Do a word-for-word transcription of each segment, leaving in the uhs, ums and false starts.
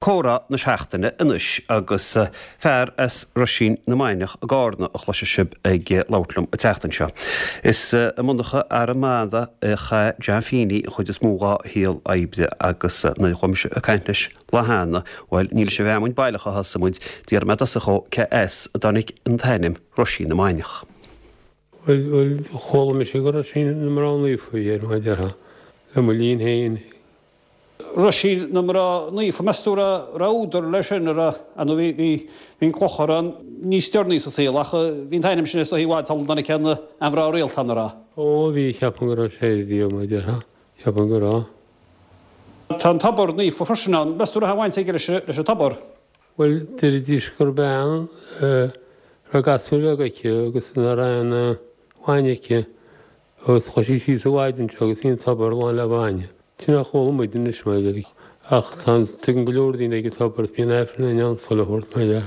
Comhrá na seachtaine anois agus fear as Roisín na Mainiach i gCarna a chloisfidh sibh ag labhairt liom an tseachtain seo. Is i monarcha arm a chaith John Feeney an chuid is mó dá shaol oibre agus nuair a chuaigh mise ag caint leis lá cheana, bhuel ní leis an bhfeamainn baileach a thosaigh muid, d'iarr mé i dtosach dhó cé as a dtáinig an t-ainm Roisín na Mainiach. Bhuel bhuel chuala mise gur Roisín na Mná Naofa a bhí air mar a déarfá, le mo linn féin. Roisín na Mná Naofa, meas tú raibh raibh údar leis sin a raibh nó bhí bhí bhí an clochar ann níos deireanaí sa saol ach bhí an t-ainm sin is dóigh i bhfad sula dtáinig aon aon mhná rialta ann a raibh. Ó bhí, ceapaim go raibh sé bhí mar a déarfá, ceapaim go raibh. Tá an tobar naofa freisin ann, meas tú raibh aon bhaint aige leis leis an tobar? Bhuel deiridís gur bean a raibh gasúr beag aici agus nach raibh aon bhainne aici agus chuaigh sí síos an mhaidin seo agus bhí an tobar lán le bainne. Sin a chuala muid anois mar ach tá tugann go leor daoine ag an tobar is bíonn Aifreann ann chuile shórt mar dhea.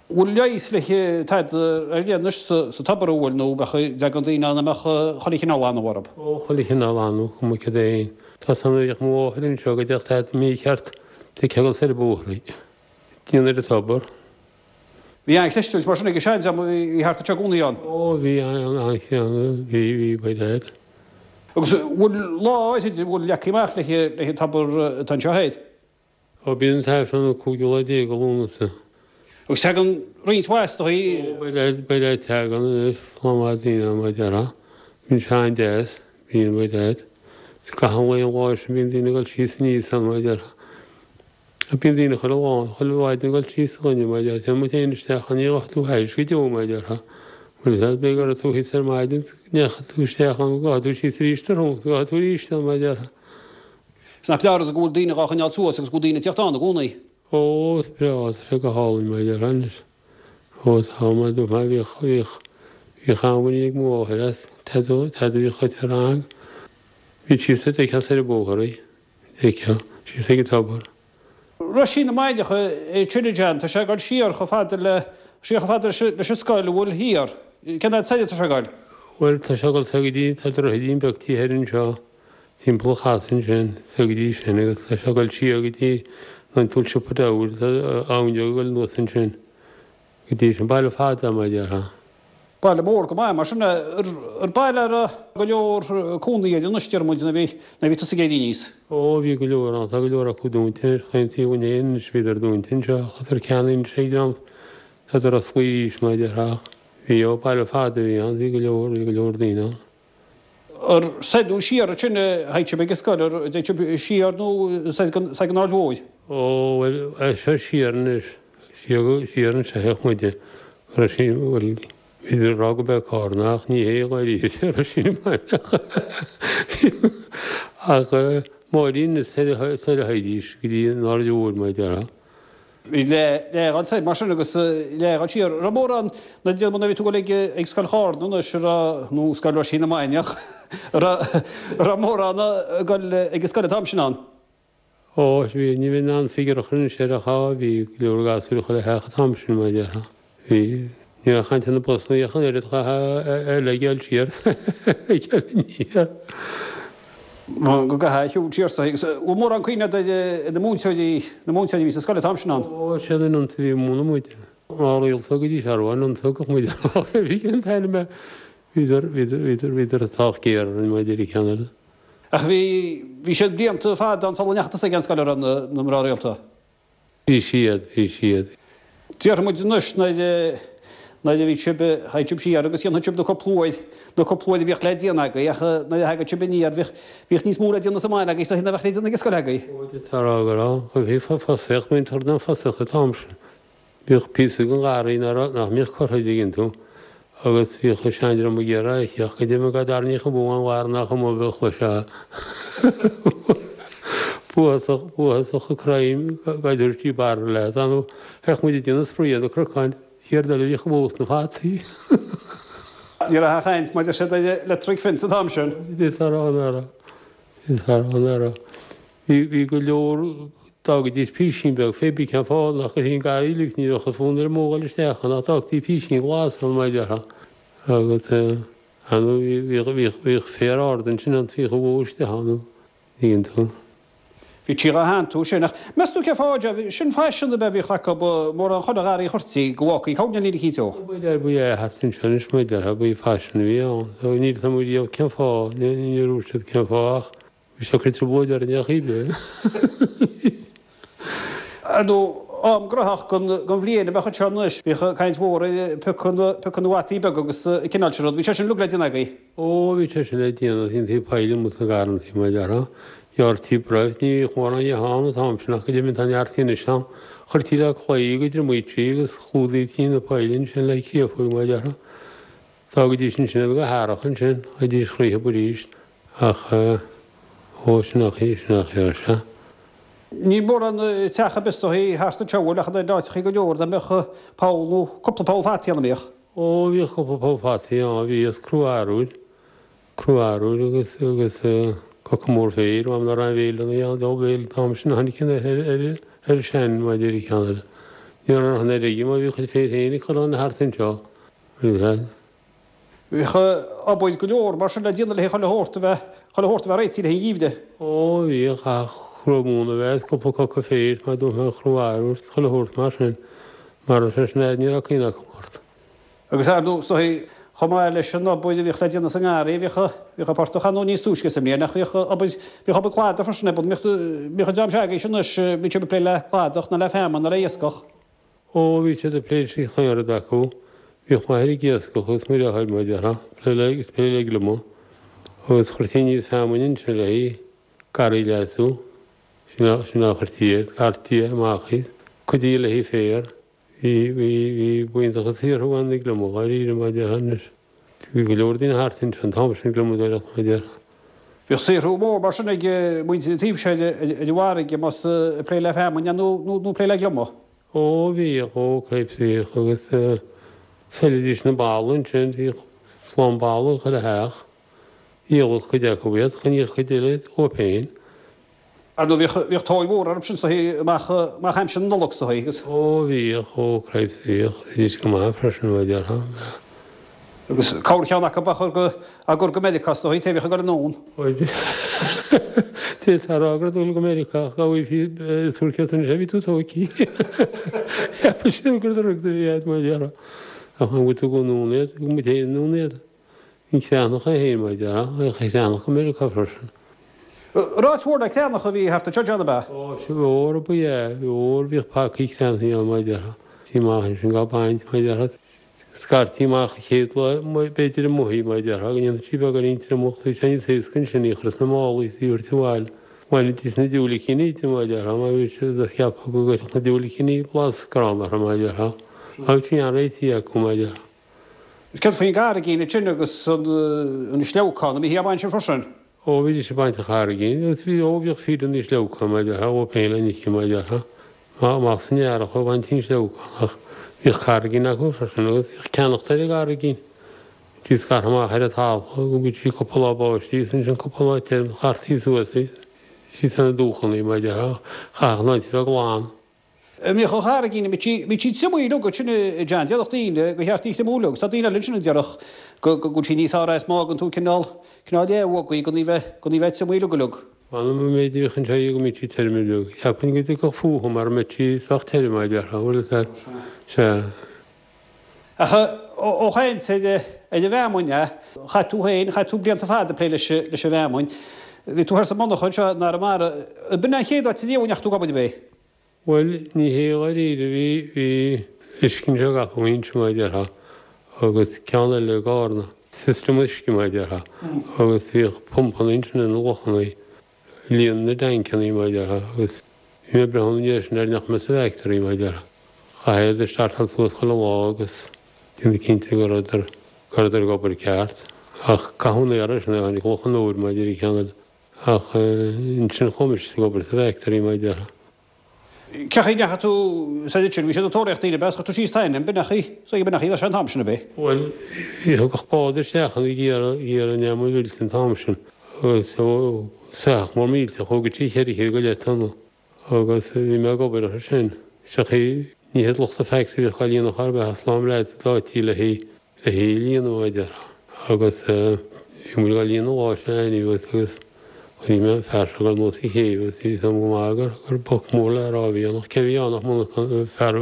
Bhfuil leigheas le tada ar leith anois sa tobar an bhfuil nó bheadh dtagann daoine ann a mbeadh chuile chineál anamh orthu? Ó chuile chineál anamh, cuma cad é féin. Tá san bhíodh mo mháthair anseo go dteacht tada mícheart de ceangal soir bóithre. Déan ar an tobar. Bhí an-chreistiúint mar sin ag an seandream a bhí thart anseo i gcónaí ann. Ó bhí an-cheann, bhí, bhí, by dad. Agus bhfuil lá áirid a bhfuil leagtha amach le le an tobar atá anseo thoir? Ó bíonn an t-aifreann an cúigiú lá déag de Lúnasa. Agus tagann roinnt mhaith is dóigh. Ó by dad, by dad tagann anois slám maith daoine ann mar a déarfá. Bíonn sé an-deas, bíonn by dad. Gach aon lá an lá sin bíonn daoine ag dul síos aníos ann mar a déarfá. Bíonn daoine chuile lá, chuile mhaidin ag dul síos a dhuine mar a déarfá. Téann muid féin isteach ann, ní ghabhfaidh tú thairis go deo mar a déarfá. Bhuel is b'fhéidir go raibh tú thíos ar maidin, ndeachaigh tú isteach ann, gabhfaidh tú síos arís tráthnóna, gabhfaidh tú arís ann mar a déarfá. Is nach breá rud go bhfuil daoine dhá choinneáil suas agus go bhfuil daoine ag tíocht ann i gcónaí. Ó, is breá, tá sé go hálainn mar a déarfá anois. Ó, tá, mar dúirt mé, bhíodh, bhíodh, bhíodh an-mhuinín ag mo mháthair as, tada, tada a bhíodh chuite rang. Bhí síos ar deicheadh soir an bóthar í, deicheadh, síos ag an tobar. Roisín na Mainiach é Trinidad, tá sé ag dul siar chomh fada le siar chomh fada leis an scoil a bhfuil thiar. Cén fhad soir atá sé ag dul? Bhuel, tá sé ag dul soir go dtí, tá droichidín beag thiar anseo, timpeall an chasaidh ansin, soir go dtí sin agus tá sé ag dul siar go dtí an túl siopa diabhail, tá abhainn ag dul anuas ansin go dtí sin, baile fada mar a déarfá. Baile mór go maith mar sin ar baile a raibh go leor cónaí air anois deir muid nuair a bhí nuair a bhí tusa ag éirí aníos. Ó bhí go leor ann, tá go leor acu dúnta anois, chaon taobh againn féin anois bhíodar dúnta anseo, tádar ceannaithe anois ag dream, tádar osclaithe arís mar a déarfá ach bhí, ó baile fada a bhí ann, bhí go leor, bhí go leor daoine ann. Ar soir nó siar ansin a théadh sibh ag an scoil, ar dtéadh sibh siar nó soir den soir den Aird Mhóir? Ó bhuel, seo siar anois, siar go, siar anseo a théadh muide, go raibh sí, bhuel, Bhíodar ag rá go b'é Carna ach ní hé dháiríre Roisín na Mainiach. Ach Máirín is soir a théidís go dtí an Aird Mhóir mar a déarfá. Bhí leath soir mar sin agus leath siar. Raibh mórán na déanamh nuair a bhí tú ag dul ag Scoil Charna anois a raibh nó Scoil Roisín na Mainiach a raibh mórán ag dul ag an scoil an t-am sin ann. Ó, bhí, ní bheinn in ann figiúr a chur anois air ach á, bhí go leor gasúir chuile theach an t-am sin, mar a déarfá. Bhí, ní raibh caint ar na busanna ach an oiread, chaithfeá a leithéid siar, ag dul aniar. Go gcaithfeá a shiúl siar sa, agus bhfuil mórán cuimhne agat ar na múinteoirí, na múinteoirí a bhí sa scoil an t-am sin ann? Ó, siad an iontu a bhí ag múineadh muid. Mná rialta go dtí seo, an iontu a thugadh muid amach, bhí an t-ainm é. Bhíodar, bhíodar, bhíodar, bhíodar sách géar orainn, mar a deir an ceann eile. Ach bhí, bhí siad blianta fada ann sula ndeachaigh tusa ag an scoil, a raibh na, na mná rialta. Bhí siad, bhí siad. Déarfaidh muid anois nuair a, nuair a bhí sibh, théadh sibh siar agus dhéanfadh sibh na cúpla uair, na cúpla uair a bhíodh le déanamh agaibh ach nuair a thagadh sibh aniar bhíodh, bhíodh níos mó le déanamh sa mbaile agaibh is dóiche ná bheadh le déanamh ag an scoil agaibh. Ó, d'fhéadfá a rá go raibh. Bhí fosaíocht, bhí an toradh den fosaíocht an t-am sin. Bhíodh píosa den gharraí nach mbíodh curtha an dtuigeann tú, agus bhíodh an seandream ag iarraidh a theacht go deimhin go dtarraingíodh an bhó an bharr nach iomaí a chloisfeá buathasach, buathasach ag crainn go dtabharfaí barra leat. Ar ndóigh, bheadh muid ag déanamh spraoi ar na cnocáin, céard eile a bhíodh amuigh sna fataí? Ní raibh aon chaint maidir siad ar electric fence an t-am sin. D'fhéadfá a rá nach raibh. D'fhéadfá a rá nach raibh. Bhí, bhí go leor, d'fhágaidís písín beag fé bí cén fáth nach gcuirfí an garraí uilig, ní bheadh an fonn ar an mbó dhul isteach ann ach d'fhágtaí písín glas ann mar a déarfá. Agus ar ndóigh bhí, bhíodh, bhíodh féar ard ansin ann bhíodh an bhó isteach ann, an dtuigeann tú. Bhítí dhá theanntú sin, ach meas tú cén fáth, Joe, sin faisean ab ea a bhíodh acu, mórán chuile gharraí a chuirtí go bhfágfaí coirnéal eicínt ó. B'fhéidir ba ea thart anseo anois mar a déarfá, ba faisean a bhí ann. Níl 'fhios a'm riamh cén fáth, níor dhúirt siad cén fáth ach bhí sé ag cur trioblóid orainn ar chaoi ar bith. Ar ndóigh, am graitheach den bhliain a bheadh anseo anois, bhíodh caint mhór ar piocadh na bhfataí beaga agus an cineál sin rud, bhí sé sin uilig le déanamh agaibh. Ó, bhí sé sin le déanamh, dhéantaí poill amuigh sna garrantaí mar a déarfá. Ghearrtaí roimh, ní bhíodh mórán dhe ann an t-am sin ach go deimhin tá neart anois ann. Chuirtí le claí go dtriomaítí agus chlúdaítí na poill ansin le créafóg mar a déarfá. D'fhágaidís ansin iad go hearrach ansin, ghabhaidís thríothab arís ach ó sin ach sin ach ar sea. Níl mórán teach ar bith is dóichí thart anseo bhfuil ach in áiteachaí go leor dá mbeadh poll nó cúpla poll fataí ann an mbíodh? Ó bhíodh cúpla poll fataí ann, bhí is crú arbhair. Crú arbhair agus agus coca mór féir, m'anam nach raibh aon bhéile ann an diabhal béile an t-am sin a tháinig an ar ar ar an sean mar a deir an ceann eile. Ní raibh an oiread aige mar bhí a chuid féir féin ag cur ann thart anseo. Bhíodh obair go leor mar sin le déanamh le chuile shórt a bheith chuile shórt a bheith réitithe le haghaidh an gheimhridh. Ó bhíodh ach crú móna a bheith is cúpla coca féir mar dúirt mé an chrú arbhair is chuile shórt mar sin. Mar a raibh sé sin agat ní raibh cuimhne acu ort. Agus ar ndóigh, is dóigh, chomh maith leis an obair a bhíodh le déanamh sa ngarraí, bhíodh, bhíodh an portach ar ndóigh níos túisce sa mbliain ach bhíodh obair, bhíodh obair cladaigh freisin ar bun. Bhíodh, bhíodh an dream seo agaibhse anois, bhíodh sibh ag plé le cladach nó le feamainn nó le iascach. Ó, bhí siad ag plé leis chaon rud acu. Bhíodh m'athair ag iascach agus mo dheartháir, mar a déarfá, ag plé le, ag plé le gliomaigh. Agus chuirtí aníos feamainn ansin le haghaidh garraí a leasú. Sin a, sin a chuirtí air, scartaí amach í. Cuid di le haghaidh féar. Bhí, bhí, bhí, b'iontach an saothrú ann na gliomaigh, dháiríre, mar a déarfá anois. Bhí go leor daoine thart anseo an t-am sin ag gliomadóireacht, mar a déarfá. Bhíodh saothrú mór mar sin ag muintir an taoibh seo ar an bhfarraige, más ag plé le feamainn nó, nó, nó plé le gliomaigh. Ó, bhíodh, ó, cripes, bhíodh agus pheilidís na balla ansin, bhíodh slám balla ag chuile theach. Dhíoladh cuid acu iad, choinníodh cuid eile dóibh féin. Ar ndóigh bhíodh, bhíodh tóir mhór orthu sin is dóichí amach, amach aimsir na Nollag is dóichí agus. Ó bhíodh, ó cripes, bhíodh, bhídís go maith freisin mar a déarfá, bheadh. Agus corrcheann acu á chur go, á gcur go Meiriceá is dóichí, té a bhíodh ag dul anonn. Ó d'fhéadfá a rá go raibh dul go Meiriceá ach gabh í tabhair céad anois, bhí tú tógtha. Cheap siad gur drugs a bhí agat mar a déarfá. Ach an bhfuil tú ag dul anonn iad, thug muid féin anonn iad. An creathnach é féin, mar a déarfá, an creathnach go Meiriceá freisin. Raibh áit mhór le creathnach a bhí thart anseo, John, ab ea? Ó, sea, mhór ba ea, mhór, bhíodh pacaí creathnaí ann, mar a déarfá. Tí amach ansin dhá baint, mar a déarfá. Scartaí amach an chéad lá, b'fhéidir amuigh í, mar a déarfá, go ndéanfadh sí beagáinín triomach, bhí sé níos éasca ansin í a chur sna málaí is í a thabhairt abhaile. Bhainidís na diúilicíní di, mar a déarfá, mar bhí siad ag ceapadh go gcuirfeadh na diúilicíní blas gránna orthu, mar a déarfá. Ach bhí an-réitithe acu, mar a déarfá. Céard faoin gcarraigín ansin agus an sleabhcán, an mbíthí á baint sin freisin? Ó, bhídís ag baint an charraigín agus bhí, ó, bhíodh fir na sleabhcán, mar a déarfá, ó féin le Nicky, mar a déarfá, amach san earrach ag baint an sleabhcán ach bhíodh carraigín acu freisin agus bhíodh ceannacht ar an gcarraigín. Bhítí scartha amach ar an talamh go mbíodh sí cúpla lá báistí agus ansin cúpla lá tirim, scartaí suas í, síos ar na dumhchannaí, mar a déarfá, chaithfeadh an áit a bheith glan. An mbíodh an charraigín, an mbíodh sí triomaithe uilig ansin a John, déarfadh daoine gur cheart í a thriomú uilig, tá daoine eile ansin a déarfadh go bhfuil sí níos fearr as má fhágann tú cineál, cineál leathbhog í gan í bheith, gan í bheith triomaithe uilig uilig. M'anam an méid a bhíodh anseo go mbíodh sí tirim uilig. Cheapfainn go dtiocfadh fúthu mara mbeadh sí sách tirim, a déarfá, bhfuil fhios agat. Sea. Ach ó chaint ar an bhfeamainn, chaith tú féin, chaith tú blianta fada ag plé leis an bhfeamainn. Bhí tú thoir sa monarcha anseo in Arramara. B'in an chéad áit ariamh a ndeachaigh tú ag obair, ab é? Bhuel, ní hé dháiríre, bhí, bhí uisce anseo gach foinse, mar a déarfá, agus ceann eile i gCarna, system uisce, mar a déarfá, agus bhíodh pumpanna ansin ar na lochanna, líonadh na dtancannaí, mar a déarfá, agus bhí mé ag breathnú ina dhiaidh sin ar nach mbeadh sa bhfactory, mar a déarfá. Chaithfeá iad a startáil suas chuile lá agus déanamh cinnte go rabhadar, go rabhadar ag obair ceart. Ach caitheadh an aer sin, tháinig Loch an Iúir, mar a deir an ceann eile. Ach ansin chuaigh mise ag obair sa bhfactory, mar a déarfá. Cén chaoi a ndeachaigh tú soir ansin, bhí siad ag tóraíocht daoine ab ea, is chuir tú síos t'ainm, b'in é an chaoi, so b'in é an chaoi leis an t-am sin ab é? Bhuel, bhí thiocfadh bád isteach ag iarraidh, iarraidh an neam a mhillte an t-am sin agus soitheach mór millteach thógadh sí cheithre chéad go leith tonna agus bhí mé ag obair orthu sin. Sa chaoi, ní hiad lucht an factory a bhíodh á líonadh chor ar bith ach slám leaids a d'áití le hí, le hí a líonadh, a déarfá. Agus bhí muid á líonadh lá sin anyway agus Chonaic mé an fear seo ag dul anuas an chéibh agus bhí a fhios agam go maith gur gur boc mór le rá a bhí ann ach cé a bhí ann ach monarchan, fear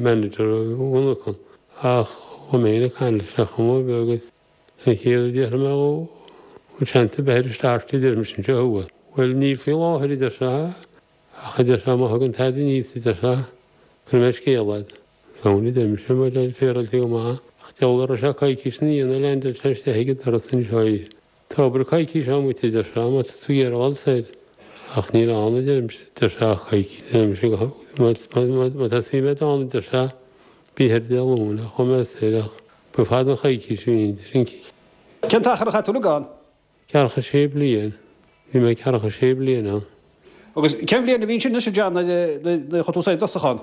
manager mhonarchan. Ach chuaigh mé féin ag caint leis ar chuma ar bith agus an chéad rud a déarfaidh mé dhó, bhfuil seans ar bith ar an starch a deir mise anseo thuas. Bhuel níl faoi láthair a deir sé ach a deir sé má thagann tada aníos a deir sé cuirfidh mé scéala ort. Sound a deir mise mar deir féaráilte go maith ach deabhal a raibh sé coicís ina dhiaidh nuair a leaindeáil sé isteach ag an doras anseo í. Tá obair coicís agam duit, a deir sé, má tá tú ag iarraidh dul soir. Ach níl ann, a deirimse, deir sé, ach coicís, a deirimse, má tá suim agat ann, a deir sé, bí thoir Dé Luain, ach chuaigh mé soir, ach ba fada an choicís a bhí inti sin. Cén t-achar a chaith tú uilig ann? Ceathracha sé bliain. Bhí mé ceathracha sé bliain ann. Agus cén bhliain a bhí sin anois, a John, nuair a chuaigh tú soir i dtosach ann?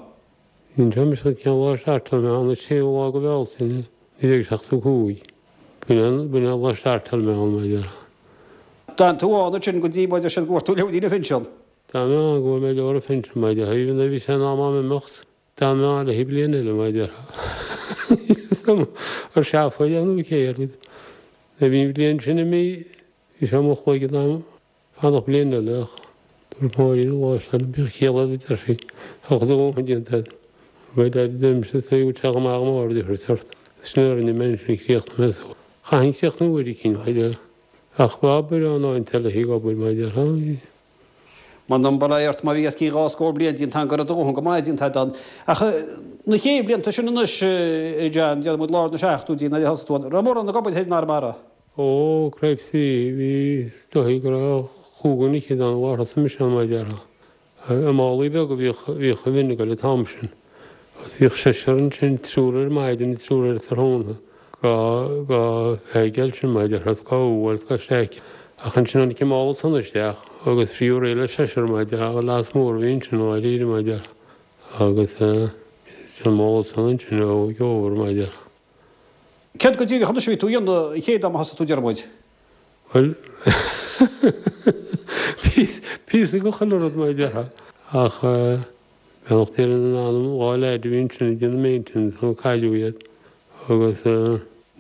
Ní mise cén lá a startáil mé ann, an séú lá de Bhealtaine, naoi déag seachtó cúig. B'in an lá a startáil mé ann, mar a déarfá. D'fhan tú ann ansin go dtí, mar a deir siad, go bhfuair tú leabhairín an phinsean. D'fhan mé ann go bhfuair mé leabhar an phinsin, mar a déarfá. Even though bhí sé in am a'm imeacht, d'fhan mé ann le haghaidh bliain eile, mar a déarfá. Níl fhios a'm ar seafóid é nó céard. Nuair a bhí an bhliain sin imithe, bhí sé i mo chloigeann a'm. Fanacht bliain eile ach dúirt Máirín an lá sin, bíodh ciall agat a deir sí, tá do dhóthain déanta agat. Bhuel a deirimse, is dóigh go bhfuil sé chomh maith agam aird a thabhairt ort. Sin a rinne mé ansin, chríochnaigh mé suas. Chaithfinn críochnú uair eicínt, mar a déarfá. Ach bheadh obair ann áit eile ag obair, mar a déarfá. M'anam bail ort má bhí os cionn dhá scór bliain déanta agam go raibh do dhóthain go maith déanta agat ann. Ach na chéad bhlianta sin anois, a John, déarfaidh muid lár na seachtóidí nuair a thosaigh tú ann, raibh mórán ag obair thoir in Arramara? Ó, cripes bhí, bhí, is dóigh go raibh chúig dhuine fhichead ann an lá a thosaigh mise ann, mar a déarfá. I málaí beaga a bhíodh, bhíodh an mhin ag goil an t-am sin. Agus bhíodh seisear ansin, triúr ar maidin, triúr ar tráthnóna, dhá, dhá bheith sin, mar a déarfá, dhá bhuailt, dhá streic. Ach ansin tháinig an mála tonna isteach agus fiú réidh le seisear, mar a déarfá, leas mór a bhí ansin, dháiríre, mar a déarfá. Agus eh, an mála tonna ansin ó gheofar, mar a déarfá. Céard go díreach anois a bhí tú a dhéanamh an chéad am a thosaigh tú, deir muid? Bhuel, píosa de chuile rud mar a déarfá. Ach beannacht Dé lena n-anam, dhá leaid a bhí ansin ag déanamh maintenance nó cailleadh iad agus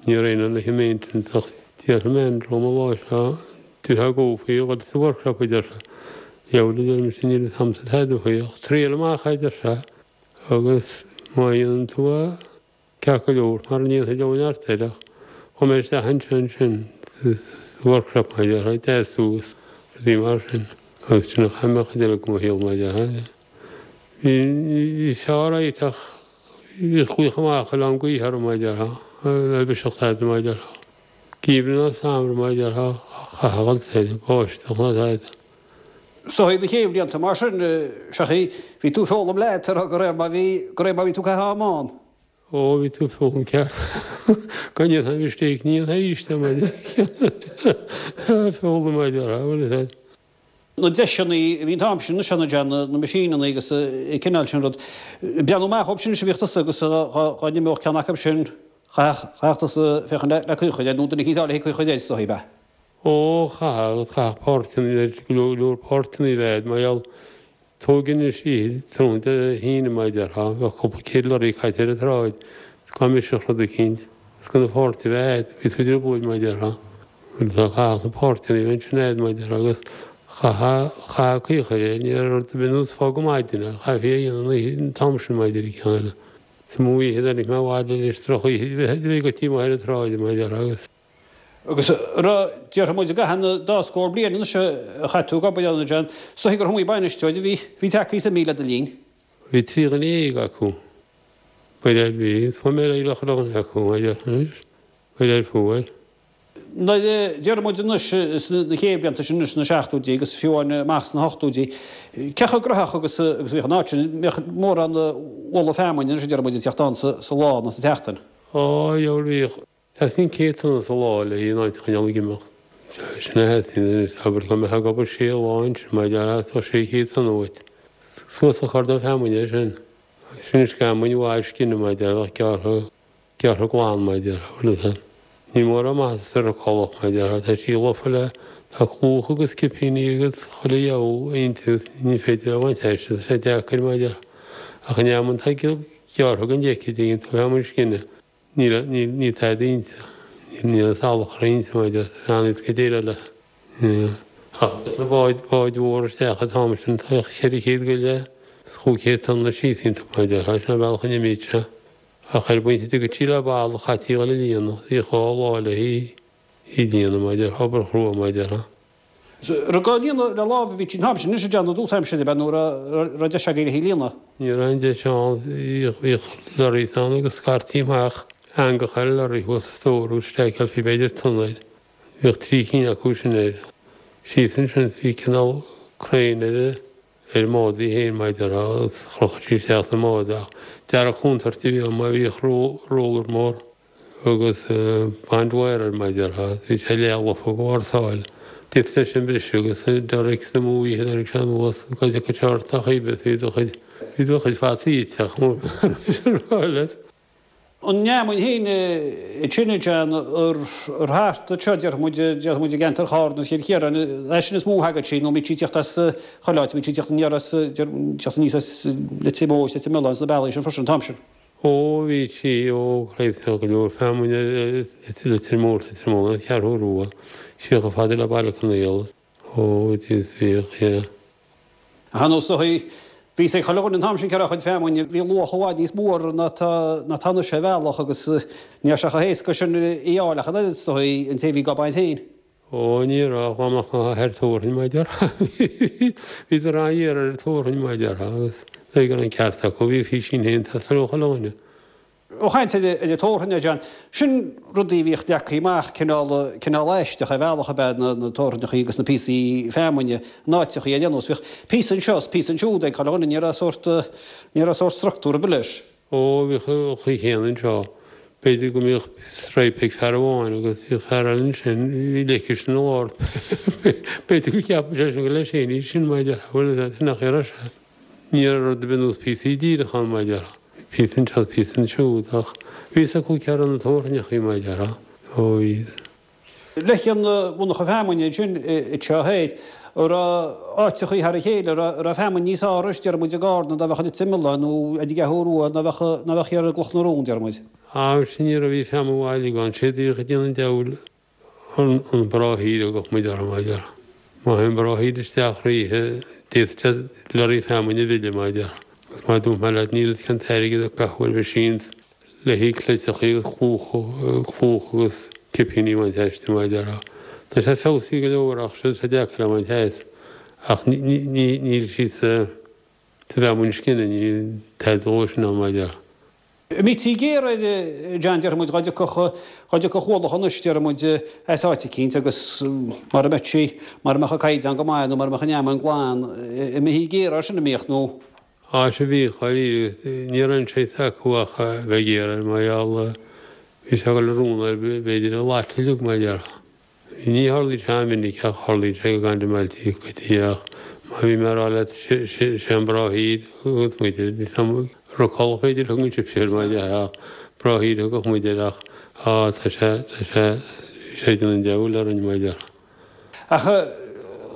ní raibh aon le maintenance ach déarfaidh mé an drom an lá seo déarfá go faoi a dhul sa workshop a deir sé. Dheabhail a deir mise níl fhios a'msa tada faoi ach triail amach é a deir sé agus má dhéanann tú é Ceart go leor, mara ndéanfaidh dheabhail neart air ach chuaigh mé isteach ansin ansin sa workshop mar a déarfá, deasú agus rudaí mar sin agus sin a chaith mé chuid eile de mo shaol mar a déarfá. Bhí bhí sé alright ach bhí glaoch amach chuile am gaoithe orm mar a déarfá, ar bhiseach tada mar a déarfá. Geimhreadh ná samhradh mar a déarfá, chaithfeá a dhul soir, báisteach ná tada. Is dóigh na chéad bhlianta mar sin, seachaí, bhí tú ag foghlaim leat, de réir mar bhí, de réir mar bhí tú ag caitheamh ama ann. Ó, bhí tú ag foghlaim ceart. Go ndéanfainn mistake, ní dhéanfainn arís é mar foghlaim mar a déarfá, bhfuil fhios a'd. Na deiseanna a bhí an t-am sin anois ann, John, na meaisíneanna agus an cineál sin rud. Breathnú amach dhóibh sin anois a bhíodh tusa agus dhá n-imeodh ceann acu sin, chaithfeadh tusa féachaint le caoi a chur air nó duine eicínt eile le caoi a chur air is dóigh, ab ea? Ó, chaithfeadh, agus chaithfeadh páirteanna, go leor páirteanna a bheith a'd mar gheall Tóg anois oíche tráthnóna Dé hAoine mar a déarfá, bheadh cúpla céad lorry caite ar an tsráid, is dá mbrisfeadh rud eicínt, is gan na páirt a bheith a'd, bhí tú i dtrioblóid mar a déarfá. Bhuel tá chaithfeadh na páirteanna a bheith ansin a'd mar a déarfá agus chaithfeá, chaithfeá caoi a chur air, ní raibh rud ar bith nós fág go maidin é, chaithfí é a dhéanamh an oíche, an t-am sin mar a déarfá ceann eile. Is iomaí oíche a dtáinig mé abhaile leis drochoíche, bhí go tí maith ar an tsráid mar a déarfá agus. Agus raibh, déarfaidh muid, i gcaitheamh na dá scór bliain anois a chaith tú ag obair ann, a John, is dóigh gur iomaí bainisteoir a bhí, bhí tagtha is imithe le do linn. Bhí trí dhuine dhéag acu. Ba léir bhí, fuair mé réidh le chuile dhuine acu, a déarfainn anois. Ba léir fuair. Nuair a déarfaidh muid anois sna chéad bhlianta sin anois sna seachtóidí agus fiú amháin amach sna hochtóidí, cé chomh gnóthach agus a bhíodh an áit sin, mbíodh mórán ualach feamainne anois a déarfaidh muid ag teacht ann sa lá nó sa tseachtain? Á, dheabhail bhíodh. Theastaíonn céad tonna sa lá le an áit a choinneáil ag imeacht. Sin a theastaíonn anois, abair go mbeifeá ag obair sé lá ansin, mar a déarfá, tá sé chéad tonna uait. Suas an cordán feamainne é sin. Sin is feamainn mhaith scine, mar a déarfá, bheadh gearrtha, gearrtha glan, mar a déarfá, bhfuil fhios a'd. Níl mórán maitheasa sa Rocálach, mar a déarfá, tá sí lofa le, tá clúmhach agus cipíní agus chuile dheabhal inti, ní féidir é a bhaint aisti, tá sé deacair, mar a déarfá. Ach an fheamainn atá gearrtha den deice, dtuigeann tú, feamainn scine. Níl, níl, níl tada inti. Níl, níl salachar inti, mar a déarfá, an-éasca déileáil léi. Ach na báid báid mhór isteach an t-am sin tá ceithre chéad go leith is chúig chéad tonna síos iontu mar a déarfá, sin an bealach a n-imíodh sé. Ach ar an bpointe a dtiocfadh sí le balla chaití dhul a líonadh, bhí dhá lá le hí í líonadh mar a déarfá, obair chrua mar a déarfá. Raibh gá líonadh le lámh a bhí an t-am sin anois a déanamh dtús aimsire ab ea nó raibh deis agaibh le hí líonadh? Ní raibh aon deis ann, bhíodh lorries ann agus scairtí amach eangach ar an lorry thuas sa stór agus staiceálfaí b'fhéidir tonna air. Bhíodh trí cinn acu sin air. Síos ansin bhí cineál crane ar ar an mbád í féin mar a déarfá agus chrochadh sí isteach sa mbád ach dearg chontúirt a bhí ann mar bhíodh roller mór agus barbed wire air mar a déarfá bhí sé leath-lofa de bharr sáil. D'fhéadfadh sé sin briseadh agus an derricks amú oíche tháinig sé anuas go dtiocfadh sé ort ach bhí do chuid bhí do chuid fataí ite ach rá leat. An fheamainn féin ansin a John, ar thart anseo, déarfaidh muid, déarfaidh muid i gceantar Chárna is Chill Chiaráin, as sin is mó a thagadh sí, nó an mbíodh sí ag teacht as chuile áit, an mbíodh sí ag teacht aniar as, teacht aníos as Leitir Móir, Leitir Mealláin, sna bealaí sin freisin an t-am sin. Ó, bhí sí, ó, raibh go leor feamainne i Leitir Móir, Leitir Mealláin, an Cheathrú Rua, siar chomh fada le Baile Conaola. Ó, bhíodh, yeah. Ach ar ndóigh, bhí a fhios ag chuile dhuine an t-am sin cé raibh a chuid feamainne, bhí luach i bhfad níos mó uirthi ná atá anois ar bhealach agus ní raibh sé chomh héasca sin í a fháil ach an oiread, is dóigh, an té a bhí ag baint féin. Ó, ní raibh, dá mbeadh an ar tabharfainn, mar a déarfá. Bhíodar an-ghéar ar an tabharfainn, mar a déarfá, agus dóigh go raibh an ceart acu, bhí a físín féin ag teastáil ó chuile dhuine. Ó chaint ar an tabharthainn, a John, sin rudaí a bhíodh leagtha amach cineál, cineál aisteach ar bhealach ab ea na tabharthainneachaí agus na píosaí feamainne, in áiteachaí ar aon nós. Bhíodh píosa anseo is píosa ansiúd ag chuile dhuine, ní raibh sórt, ní raibh sórt structúr ar bith leis. Ó, bhíodh an chaoi chéanna anseo. B'fhéidir go mbíodh stripe ag fear amháin agus bhíodh fear eile ansin, bhí leiceas ina lár. B'fhéidir go gceapadh sé sin gur leis féin í sin, mar a déarfá, bhuel, sin nach raibh sé. Ní raibh rud ar bith nós píosaí díreach ann, mar a déarfá. Píosa anseo is píosa ansiúd, ach bhí fhios acu cé raibh na tabharthainneachaí, mar a déarfá. Ó, bhí. Leis an mhonarcha feamainne ansin anseo thoir, an raibh áiteachaí thar a chéile, an raibh feamainn níos fearr anois, deir muid, i gCarna ná bheadh i Leitir Mealláin nó ar an gCeathrú Rua ná bheadh ná bheadh thiar i gCloch na Rón, deir muid. Á, sin ní raibh, bhí feamainn mhaith uilig ann, séard a bhíodh ag déanamh an diabhail. An bráthaoire a thugadh muid orthu, mar a déarfá. Má théann bráthaoire isteach thríthi, d'fhéadfadh sé lorry feamainne a mhilleadh, mar a déarfá. Agus mar a dúirt mé leat, níl fhios cén t-airgead a caitheadh ar machines le haghaidh cleiteachaí agus clúch agus cipíní a bhaint aisti, mar a déarfá. Tá sé feabhsaithe go leor ach tá sé deacair a bhaint as. Ach níl siad sa bhfeamainn scine, níl tada dhó sin ann, mar a déarfá. Mbítí géar air, John, déarfaidh muid, dhá dtiocfadh, dhá dtiocfadh ualach anois, déarfaidh muid, as áit eicínt agus mara mbeadh sí, mara mbeadh an caighdeán go maith nó mara mbeadh an fheamainn glan, an mbítí géar air sin, an mbíodh, nó? Á sea bhíodh, dháiríre, ní raibh aon choice acu ach a bheith géar air mar gheall, bhí sé ag dul i rún air b'fhéidir an lot uilig, mar a déarfá. Ní tharlaíonn sé an-mhinic ach tharlaíonn sé go gandamhailtí scaití ach mar bhí mé a rá leat sé an bráthaoir a thuganns muid air. Ní sam rocáil b'fhéidir a thugann sibhse air mar dhea ach bráthaoir a thugadh muid air ach á tá sé tá sé bhí sé ag déanamh an diabhail orainn mar a déarfá. Ach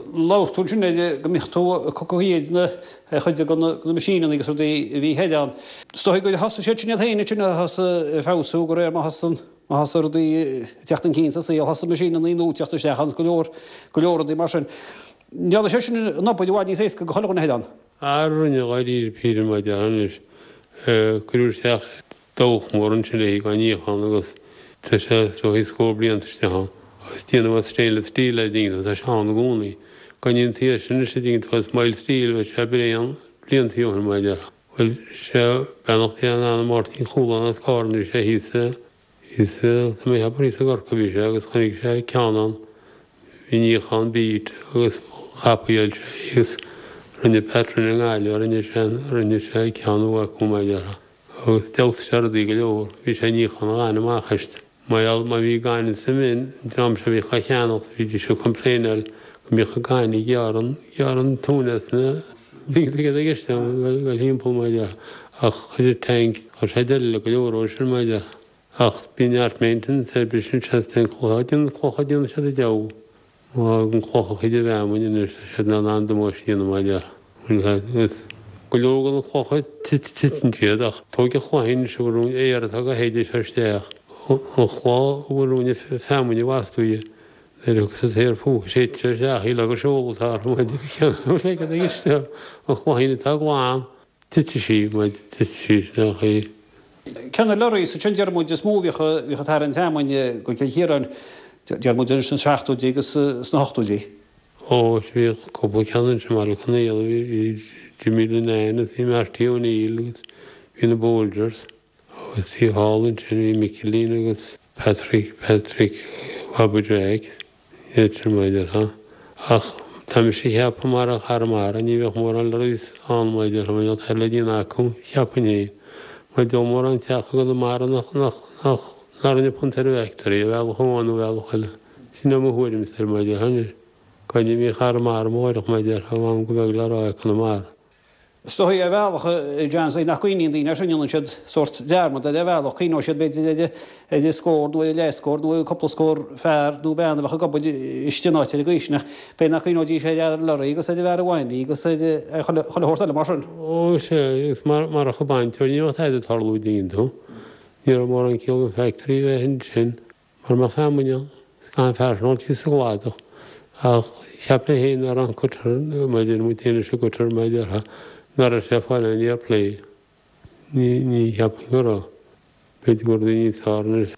labhair tú ansin ar go mbíodh tú ag cocadh ar na ar chuid de na meaisíneanna agus rudaí a bhí thoir ann. Is dóigh gur thosaigh siad sin iad féin ansin a thosaigh ag feabhsú de réir mar thosaigh an Má thosaigh rudaí ag teacht chun cinn sa saol, thosaigh meaisíneanna nua ag teacht isteach agus go leor, go leor rudaí mar sin. Ndearna sé sin an obair i bhfad níos éasca do chuile dhuine thoir ann? Á rinne, dháiríre píre mar a déarfá anois. Cuireadh isteach dabhach mór ansin le haghaidh níochán agus tá sé is dóigh scór blianta istigh ann. Agus déanamh as stainless steel é dtuigeann tú, tá sé ann i gcónaí. Go ndéantaí é sin anois a dtuigeann tú as mild steel bheadh sé bréan blianta ó shin mar a déarfá. Bhuel, sé beannacht Dé lena anam Máirtín Chualáin as Cárna, bhí sé thíos i, thíos i, tá mé ag ceapadh thíos i gCorcaigh a bhí sé agus chonaic sé ceann ann, bhí níochán beat agus chopyail sé agus rinne Pat Rinne i nGaillimh, rinne sé, rinne sé ceann nua acu mar a déarfá agus d'fheabhsaigh sé rudaí go leor, bhí sé ag níochán an ghainimh amach aisti. Mar gheall má bhí gaineamh sa mhin, an dream seo a bhíodh á cheannacht, bhídís ag complaineáil go mbíodh an gaineamh ag gearradh an, gearradh an tóin as na daoine a bhí i gceist ann, ag dul thimpeall mar a déarfá. Ach chuir an tank, chuir sé deireadh le go leor dhó sin mar a déarfá. Ach bíonn neart maintenance air, briseann sé is téann clocha, déanann clocha, déanann siad an diabhal. Má fhágann clocha cuid de bhfeamainn anois tá siad in ann an-damáiste a dhéanamh mar a déarfá. Agus go leor de na clocha titeann siad ach tóig an chloich anois a bhfuil rún aer atá go shéideadh seo isteach, an chloch a bhfuil rún feamainn i bhfastú Nuair a thiocfas an saor fúthu séidtear isteach í le go seoladh atá orthu mar deir an chloichín atá glan, titfidh sí mar titfidh sí isteach í. Cé na lorraí sa sin deir muid is mó a bhíodh a bhíodh ag tarraingt feamainne go Cill Chiaráin, deir muid anois sna seachtóidí agus sna hochtóidí. Ó, bhíodh cúpla ceann ansin mar Conaola, bhí Jimmy Linnane agus bhí Marty O'Neill agus bhí na Bolgers agus bhí thall ansin bhí Micilín agus Patrick, Patrick Bhaba Jeaic, iad sin mar a déarfá. Ach tá mise a cheapadh marach Arramara ní bheadh mórán lorries ann mar a déarfá, mar níl tada le déanamh acu, cheapfainn fhéin. Mar níl mórán teach i gConamara nach, nach, nach, nach rinne punt ar an bhfactory, ar bhealach amháin nó bhealach eile. Sin é mo thuairimse air mar a déarfá anois. Go n-imeodh Arramara amárach mar a déarfá, am go beag le rá i gConamara. Is dóigh ar bhealach, a John, nach gcuimhníonn daoine air sin, déanann siad sórt dearmad air ar bhealach, cuimhneoidh siad b'fhéidir ar ar scór nó ar leathscór nó ar cúpla scór fear nó bean a bheadh ag obair istigh in áit ar an gcaoi sin ach b'fhéidir nach gcuimhneoidís ar fhear an lorraí agus ar an bhfear a bhain í agus ar chuile shórt eile mar sin. Ó sea, agus marach an bainteoir ní bheadh tada ag tarlú an dtuigeann tú. Ní raibh mórán ciall don factory a bheith ansin. Mura mbeadh feamainn ann, is gan fear sin thíos sa gcladach. Ach cheap mé féin nach raibh an cutter, mar a deir muid féin leis an gcutter, mar a déarfá, nach raibh sé ag fáil aon fhair play. Ní, ní cheapaim go raibh. B'fhéidir go raibh daoine níos fearr anois.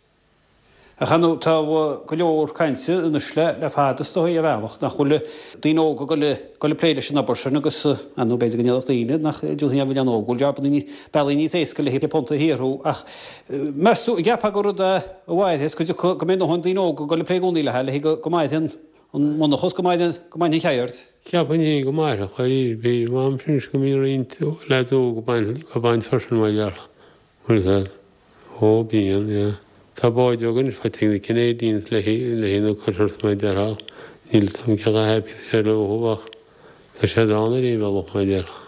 Ach ar ndóigh tá go leor cainte anois le le fada is dóigh ar bhealach nach bhfuil daoine óga ag dul ag dul ag plé leis an obair sin agus ar ndóigh b'fhéidir go ndéarfadh daoine nach dtiúrfaidh an mhilleán óg go bhfuil jabanna bealaí níos éasca le punt a shaothrú ach meas tú an gceapfá gur rud é a mhairfeas go dtiocfaidh go mbeidh a ndóthain daoine óga ag dul ag plé i gcónaí léi le go mairfidh an an monarcha go mairfidh go mairfidh an cheird. Cheapfainn féin go mairfeadh dáiríre píre. M'am sin anois go mbíonn roinnt leaids óga ag baint ag baint freisin mar a déarfá. Bhfuil a fhios agat. Ó bíonn, yeah. Tá báid bheaga anois faighte ag na Canadians le haghaidh na cutters mar a déarfá. Níl a fhios agam cé chomh happy is atá siad leo ach tá siad ann ar aon bhealach mar a déarfá.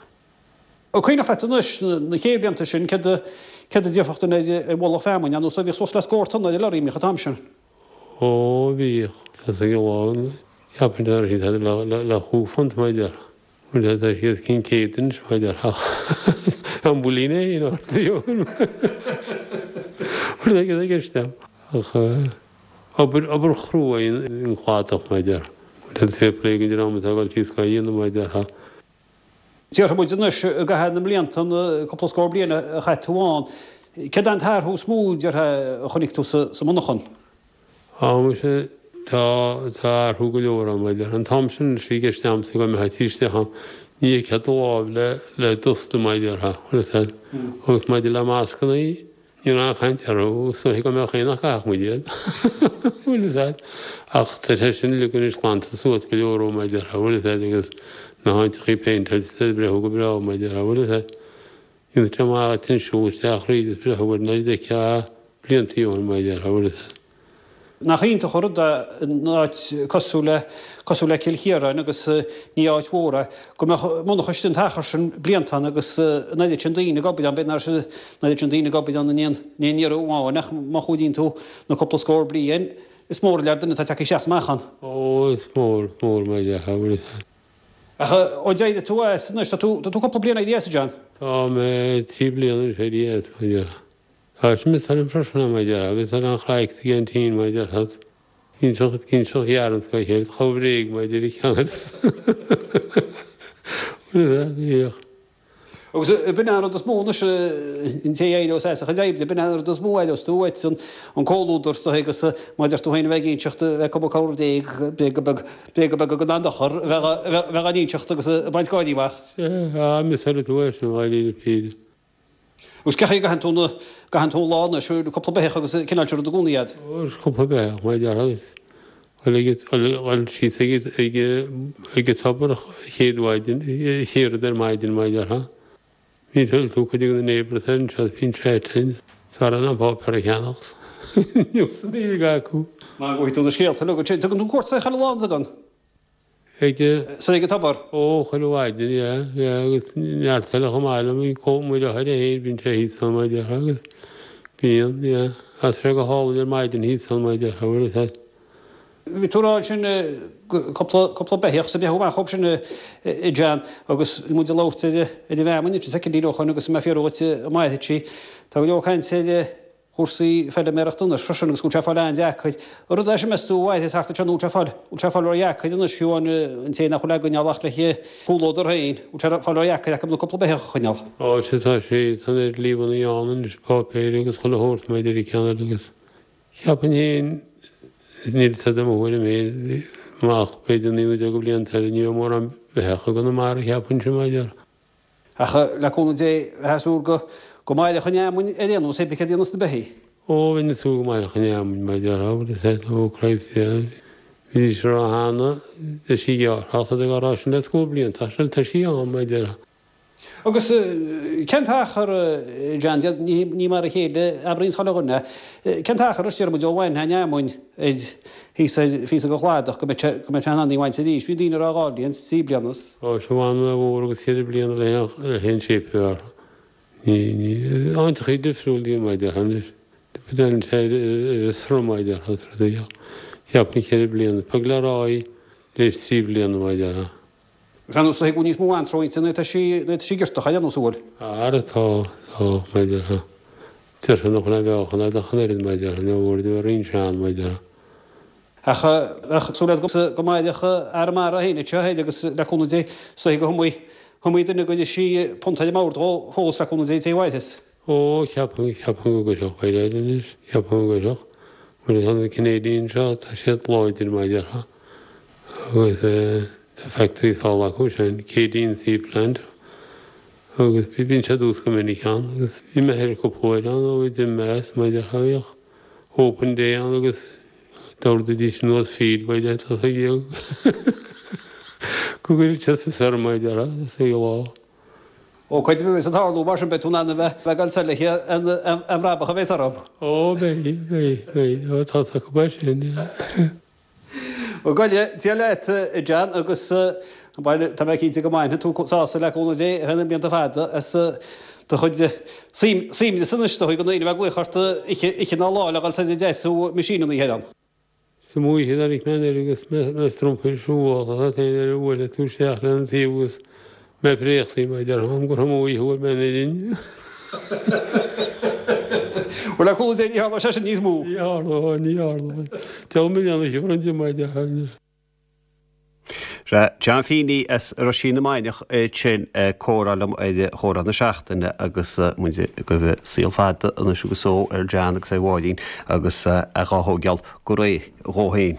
An cuimhneach leat anois na chéad bhlianta sin céard a céard a déarfadh duine ar mhullach feamainne nó bhíodh suas le scór tonna ar an lorry an mbíodh an t-am sin? Ó bhíodh. Tá sa gciall cheapfainn go raibh siad le le chúig phunt mar a déarfá. Bhuel tá siad os cionn céad anois mar a déarfá. An builín é féin ort Bhuel ag ag isteach. Ach obair obair chrua í an cladach mar a déarfá. Bhuel fair play don dream atá ag dul síos dhá dhéanamh mar a déarfá. Déarfaidh muid anois i gcaitheamh na mblianta, na cúpla scór bliain a chaith tú ann, céard é an t-athrú is mó, déarfá, a chonaic tú sa monarchan? Á, muise, tá, tá athrú go leor ann, mar a déarfá. An t-am sin anois, bhí i gceist a'msa go mbeifeá tí isteach ann, ní fheicfeá do lámh le, le dusta, mar a déarfá, bhfuil a fhios a'd. Agus maidir le mascannaí, Ní raibh aon chaint orthu, is dóiche go mbeadh aon nach gcaithfeadh muid iad. Bhfuil fhios a'd. Ach tá sé sin uilig anois glanta suas go leor ó mar a déarfá, bhfuil fhios a'd, agus na háiteachaí péinteáilte is breithiú go breá mar a déarfá, bhfuil fhios a'd. Dhéanfadh sé maith dhuit an siúl isteach thríd is breithiú ar an oiread a d'fheicfeá bliantaí ó shin mar a déarfá, bhfuil fhios a'd. Nach iontach an rud é in áit cosúil le cosúil le Cill Chiaráin agus ní áit mhór é, go mbeadh monarcha istigh an t-achar sin blianta ann agus an oiread sin daoine ag obair ann, b'fhéidir nach raibh an oiread sin daoine ag obair ann in aon in aon iarraidh amháin ach má chumhdaíonn tú na cúpla scór bliain, is mór an lear duine atá tagtha isteach is amach ann. Ó, is mór, is mór mar a déarfá, bhfuil fhios a'd. Ach ó d'éirigh tú as anois, tá tú tá tú cúpla bliain éirithe as, a John? Tá mé trí bliana anois éirithe as, mar a déarfá. Tá sin miosúil liom freisin, mar a déarfá, bhí an chraic sa gceaintín, mar a déarfá, ginseach ginseach ghearrann scoith chéile, chomh bhréag, mar a deir an ceann Bhíodh. Agus b'in é an rud is mó anois, an té a éireos as a chuid oibre, b'in é an rud is mó a aireos tú uait, an comhluadar is dóigh agus mar a deir tú féin a bheith ag inseacht, a bheith ag cuma corr bhréag, bréaga beaga, bréaga beaga gan aon dochar, a bheith á n-inseacht agus ag baint gáirí amach. Sea, miosúil tú é sin, dháiríre píre. Agus cén chaoi a gcaitheann tú na, gcaitheann tú an lá anois, cúpla beithíoch agus cineál sin rud i gcónaí a'd? Ó, is cúpla beithíoch, mar a déarfá, agus dhul ag, dhul síos ag, ag, ag an tobar chéad mhaidin, chéad rud ar maidin, mar a déarfá. Bíonn sé tú cuid de na neighbours ar anseo, bíonn sé tinn, is fearr an páipéar a cheannach. Níl san Ghaeilge acu. Mar go bhfaighidh tú na scéalta uilig ansin. Tugann tú cuairt ar chuile lá, an dtugann? Ag. San ag an tobar. Ó, chuile mhaidin, yeah, yeah, agus neart eile chomh maith liom, bíonn cóip mo dheartháir féin, bíonn sé thíos ann, mar a déarfá, agus bíonn, yeah, tá sé go hálainn ar maidin thíos ann, mar a déarfá, bhfuil a fhios a'd. Bhí tú ag rá ansin cúpla, cúpla beithíoch sa bhreithiú amach chomh sin a John agus bhí muid ag labhairt ar, ar an bhfeamainn ansin soicindí ó shoin agus mé ag fiafraí dhuit an mairfidh sí. Tá go leor cainte ar, chúrsaí feilméarachta anois freisin agus go bhfuil sé ag fáil an-deacair. An rud é sin meas tú a mhairfeas thart anseo nó bhfuil sé ag fáil, bhfuil sé ag fáil ródheacair anois fiú an an té nach bhfuil á gcoinneáil ach le comhluadar féin, bhfuil sé ag fáil ródheacair acu na cúpla beithíoch a choinneáil. Ó sea tá sé, tá an oiread líomhnaí ann anois, páipéir agus chuile shórt maidir le ceann eile agus cheapfainn féin, níl fhios agam mo thuairim féin, amach b'fhéidir naoi nó deich de bhlianta eile ní bheidh mórán beithíoch i gConamara cheapfainnse maidir. Ach le cúnamh Dé, bheifeá ag súil go go mairfeadh an fheamainn ar aon nós, pé céard a dhéanfas na beithígh. Ó, bheinn ag súil go mairfeadh an fheamainn, mar a déarfá, bhuel is ea, ó cripes, bhídís ag rá cheana, tá sí gearrtha, ach tá ag rá sin le scór bliain, tá sí, tá sí ann, mar a déarfá. Agus cén t-achar, John, ní mar a chéile a oibríonns chuile dhuine, cén t-achar a deir muid ó bhainfeá an fheamainn ar thíos ar phíosa de chladach go mbeidh sé go mbeidh sé in ann í a bhaint arís? Bhí daoine ag rá dhá bhliain, trí bliana. Ó, sea, bhain mhór agus ceithre bliana le le haon séip a bheith orthu. Ní, ní, áiteachaí difriúil iad mar a déarfá anois. Deireann sé ar ar an sruth mar a déarfá, cheapfainn ceithre bliana. Beag le rá í leis trí bliana mar a déarfá. Tá nós ag níos mó antró inti nuair atá sí nuair atá sí giortach ar aon nós an bhfuil? Ara tá, tá, mar a déarfá. Deirtear nach bhfuil aon mheáchan agat ach an oiread, mar a déarfá, nó uair de roinnt sean, mar a déarfá. Ach bheadh súil agat go mairfeadh Arramara féin anseo thoir agus le cúnamh Dé is dóichí go hiomaí iomaí duine go gcuirfidh sí punt ar an mbord dhó fós le cúnamh Dé an té a mhairfeas. Ó, cheapfainn, cheapfainn go gcuirfeadh, b'fhéidir anois, cheapfainn go gcuirfeadh. Mar tá na Canadians seo, tá siad láidir, mar a déarfá. Agus tá factory thall acu sin, Keadeen Sea Plant, agus bíonn sé aduas go minic ann agus bhí m'athair cúpla uair ann ó bhí d'imigh mé as, mar a déarfá, bhíodh open day ann agus d'ordaídís anuas feed by deich tá sé go gcuireadh siad fios orm, mar a déarfá, sa lá. Ó, cuid de a tarlú mar sin beidh tú in ann a bheith ag dul soir le an bhrabach a bheas orm. Ó, beidh, beidh, beidh, ó tá a fhios acu é sin, yeah. Bhuel, go Dia leat, a John, agus tá mé cinnte go mbainfidh tú sásamh le cúnamh Dé ar feadh na mblianta fada as do chuid suaimhneas anois, dóigh go ndaoine a bheith ag glaoch ort oíche ná lá le dhul soir ag deisiú meaisíneanna thoir ann. Sa mbuaidhe tháinig mé anoir agus mé strompaí ar siúl tá féin ar a bhuaile tú isteach lena taobh agus mé préachtaí mar a déarfá gur thum oíche bhuail mé anoir inn. Bhuel, le cúnamh Dé ní tharlóidh sé sin níos mó. Ní tharlóidh, ní tharlóidh. Deabhal mé dhéanamh siúr an diomaí de anois. Sea, John Feeney as Roisín na Mainiach sin ag comhrá liom ar Chomhrá na Seachtaine agus muid ag guí saol fada anois agus só ar John agus ar Mháirín agus a dhá thógáil go réidh dhó féin.